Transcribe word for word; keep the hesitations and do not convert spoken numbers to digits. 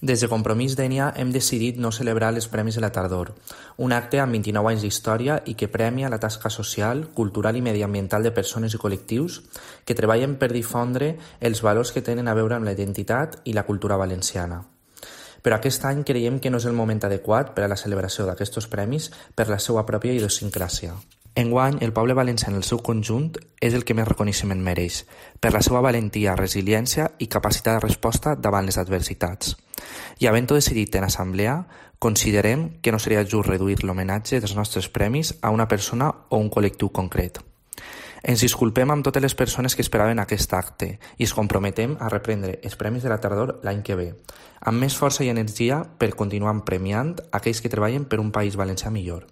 Des de Compromís Dénia hem decidit no celebrar els Premis de la Tardor, un acte amb vint-i-nou anys d'història i que premia la tasca social, cultural i mediambiental de persones i col·lectius que treballen per difondre els valors que tenen a veure amb la identitat i la cultura valenciana. Però aquest any creiem que no és el moment adequat per a la celebració d'aquests premis per la seva pròpia idiosincràsia. Enguany, el poble valencià en el seu conjunt és el que més reconeixement mereix, per la seva valentia, resiliència i capacitat de resposta davant les adversitats. I havent-ho decidit en assemblea, considerem que no seria just reduir l'homenatge dels nostres premis a una persona o un col·lectiu concret. Ens disculpem amb totes les persones que esperaven aquest acte i ens comprometem a reprendre els Premis de la Tardor l'any que ve, amb més força i energia per continuar premiant aquells que treballen per un país valencià millor.